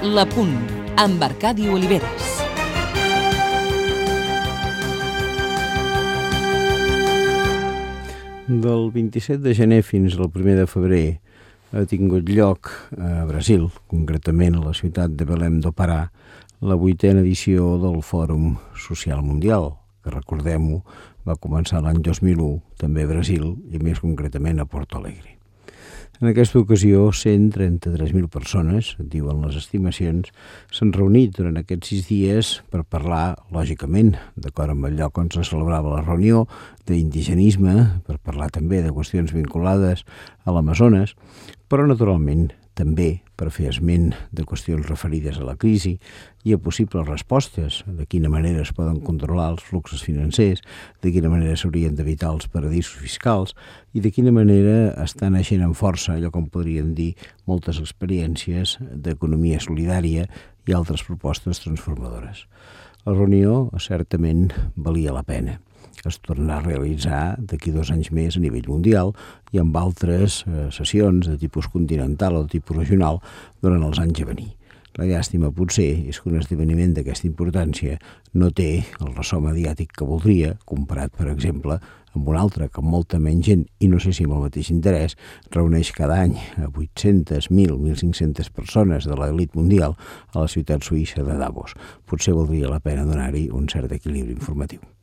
La Punt, amb Arcadi Oliveres. Del 27 de gener fins al 1 de febrer ha tingut lloc a Brasil, concretament a la ciutat de Belém do Pará, la 8a edició del Fòrum Social Mundial, que recordem-ho, va començar l'any 2001, també a Brasil i més concretament a Porto Alegre. En aquesta ocasió, 133.000 persones, diuen les estimacions, s'han reunit durant aquests 6 dies per parlar, lògicament, d'acord amb el lloc on se celebrava la reunió, d'indigenisme, per parlar també de qüestions vinculades a l'Amazones, però naturalment també per fer esment de qüestions referides a la crisi i a possibles respostes, de quina manera es poden controlar els fluxos financers, de quina manera s'haurien d'evitar els paradisos fiscals i de quina manera estan naixent amb força allò com podríem dir moltes experiències d'economia solidària i altres propostes transformadores. La reunió certament valia la pena. Es tornarà a realitzar d'aquí 2 anys més a nivell mundial i amb altres sessions de tipus continental o de tipus regional durant els anys a venir. La llàstima potser és que un esdeveniment d'aquesta importància no té el ressò mediàtic que voldria, comparat, per exemple, amb un altre que amb molta menys gent, i no sé si amb el mateix interès, reuneix cada any a 800, 1.000, 1.500 persones de l'elit mundial a la ciutat suïssa de Davos. Potser valdria la pena donar-hi un cert equilibri informatiu.